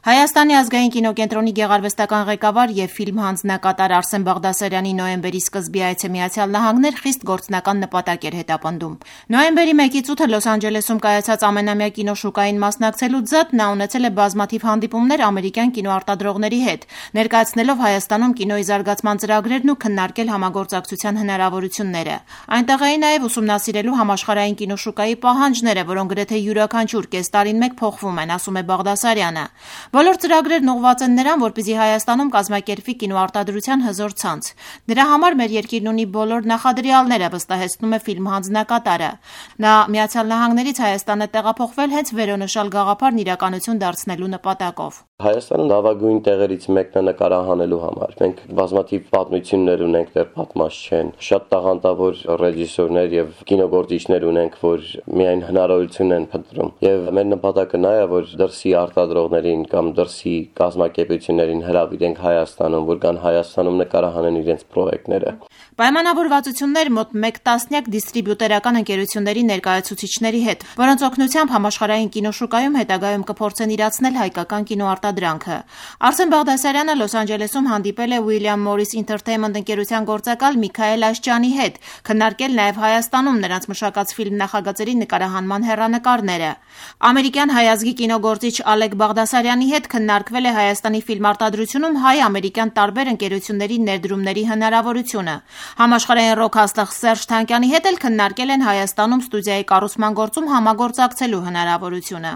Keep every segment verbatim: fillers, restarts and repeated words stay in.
Հայաստանի ազգային կինոկենտրոնի գեղարվեստական ղեկավար և ֆիլմ հանձնակատար Արսեն Բաղդասարյանի նոյեմբերի սկզբի այցը Միացյալ Նահանգներ խիստ գործնական նպատակ էր հետապնդում։ Նոյեմբերի մեկից ութը Լոս Անջելեսում կայացած ամենամյա կինոշուկային մասնակցելուց զատ նա ունեցել է բազմաթիվ հանդիպումներ ամերիկյան կինոարտադրողների հետ, ներկայացնելով Հայաստանում կինոյի զարգացման ծրագրերն ու քննարկել համագործակցության հնարավորությունները։ Այնտեղ էին նաև ուսումնասիրելու համաշխարհային կինոշուկայի պահանջները, որոնք գրեթե յուրաքանչյուր կես տարին մեկ փոխվում են, ասում է Բաղդասարյանը։ Բոլոր ծրագրերն ուղղված են նրան, որպեսզի Հայաստանում կազմակերպվի կինոարտադրության հզոր ցանց։ Դրա համար մեր երկիրն ունի բոլոր նախադրյալները, վստահեցնում է ֆիլմ հանձնակատարը։ Նա Միացյալ Նահանգներից Հայաստան է տեղափոխվել հենց վերոնշյալ գաղափարն իրականություն դարձնելու նպատակով։ Հայաստանը լավագույն տեղերից մեկն է նկարահանելու համար։ Մենք բազմաթիվ պատմություններ ունենք, դեռ պատմած չեն։ Շատ տաղանդավոր ռեժիսորներ եւ կինոգործիչներ ունենք, որ միայն հնարավորություն են փնտրում։ Եվ մեր նպատակը նա է, որ դրսի արտադրողներին կամ դրսի կազմակերպություններին հրավիրենք Հայաստանում, որ կան Հայաստանում նկարահանեն իրենց պրոյեկտները։ Պայմանավորվածություններ մոտ մեկ տասնյակ դիստրիբյուտերական ընկերությունների ներկայացուցիչների հետ, որոնց օգնությամբ համաշխարհային կինոշուկայում հետագայում կփորձեն իրացնել հայկական կինոարտադրանքը։ Արսեն Բաղդասարյանը Լոս Անջելեսում հանդիպել է William Morris Entertainment ընկերության գործակալ Միքայել Աշճյանի հետ, քննարկել նաև Հայաստանում նրանց մշակած ֆիլմ նախագծերի նկարահանման հեռանկարները։ Ամերիկյան հայ ազգի կինոգործիչ Ալեկ Բաղդասարյանի հետ քննարկվել է Հայաստանի ֆիլմարտադրությունում հայ-ամերիկյան տարբեր ընկերությունների ներդրումների հնարավորությունը։ Համաշխարհային ռոք հաստղ Սերժ Թանկյանի հետ էլ քննարկել են Հայաստանում ստուդիայի կառուցման գործում համագործակցելու հնարավորությունը։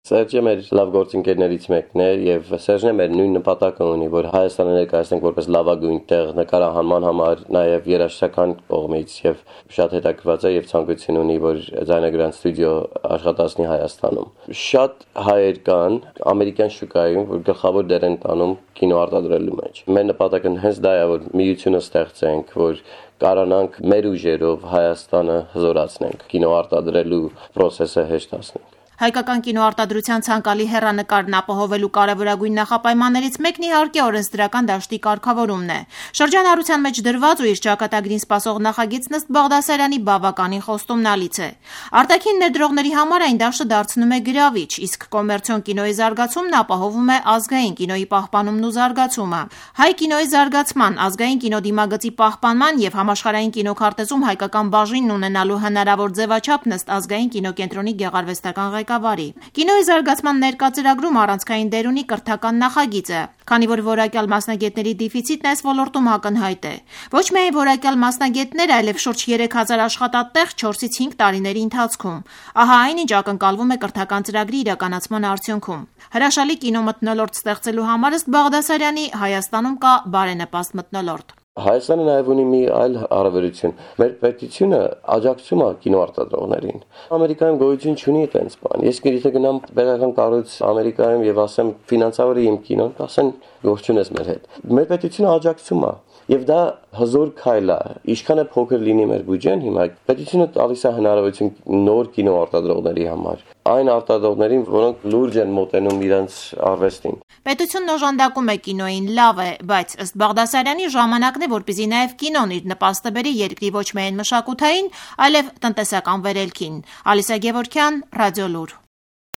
Սերժը մեր լավ գործընկերներից մեկն է եւ Սերժն է մեր նույն նպատակը ունի, որ Հայաստանը ներկայացնենք որպես լավագույն տեղ նկարահանման համար, նաեւ երաժշտական կողմից եւ շատ հետաքրքրված է եւ ցանկություն ունի, որ ձայնագրան ստուդիո աշխատացնի Հայաստանում։ Շատ հայեր կան ամերիկյան շուկայում, որ գլխավոր դեր են տանում կինոարտադրելու մեջ։ Մեր նպատակը հենց դա է, որ միությունը ստեղծենք, որ կարողանանք մեր ուժերով Հայաստանը հզորացնենք, կինոարտադրելու process-ը հեշտացնենք։ Հայկական կինոարտադրության ցանկալի հեռանկարն ապահովելու կարևորագույն նախապայմաններից մեկն իհարկե օրենսդրական դաշտի կարգավորումն է։ Շրջանառության մեջ դրված ու իր ճակատագրին սպասող նախագիծն ըստ Բաղդասարյանի բավականին խոստումնալից է։ Արտաքին ներդրողների համար այն դաշտը դարձնում է գրավիչ, իսկ կոմերցիոն կինոյի զարգացումն ապահովում է ազգային կինոյի պահպանումն ու զարգացումը։ Հայ կինոյի զարգացման, ազգային կինոդիմագծի պահպանման եւ համաշխարհային կինոքարտեզում հայկական բաժինն ունենալու հնարավոր ձևաչափն ըստ ազգային կինոկենտրոնի գեղարվեստական ղեկավարի։ Կինոյի զարգացման ներկա ծրագրում առանցքային դեր ունի կրթական նախագիծը, քանի որ որակյալ մասնագետների դեֆիցիտն այս ոլորտում ակնհայտ է։ Ոչ միայն որակյալ մասնագետներ, այլև շուրջ երեք հազար աշխատատեղ չորսից հինգ տարիների ընթացքում։ Ահա այն, ինչ ակնկալվում է կրթական ծրագրի իրականացման արդյունքում։ Հրաշալի կինո մթնոլորտ ստեղծելու համար ըստ Բաղդասարյանի Հայաստանում կա բարենպաստ մթնոլորտ։ Հայաստանը նաև ունի մի այլ հարաբերություն։ Մեր պետությունը աջակցում է կինոարտադրողներին։ Ամերիկայում գոյություն չունի այդպես բան։ Ես եթե գնամ պետական կառույց Ամերիկայում եւ ասեմ ֆինանսավորի իմ կինոն, ասեն գործուն ես մեր հետ։ Մեր պետությունը աջակցում է։ Եվ դա հզոր քայլ է։ Ինչքան է փոքր լինի մեր բյուջեն, հիմա պետությունը տալիս է հնարավորություն նոր կինոարտադրողների համար։ Այն արտադրողներին, որոնք լուրջ են մոտենում իրենց արվեստին։ Պետությունն օժանդակում է կինոյին, լավ է, բայց ըստ Բաղդասարյանի ժամանակն է, որպեսզի նաև կինոն իր նպաստը բերի երկրի ոչ միայն մշակութային, այլև տնտեսական վերելքին։ Ալիսա Գևորգյան, Ռադիոլուր։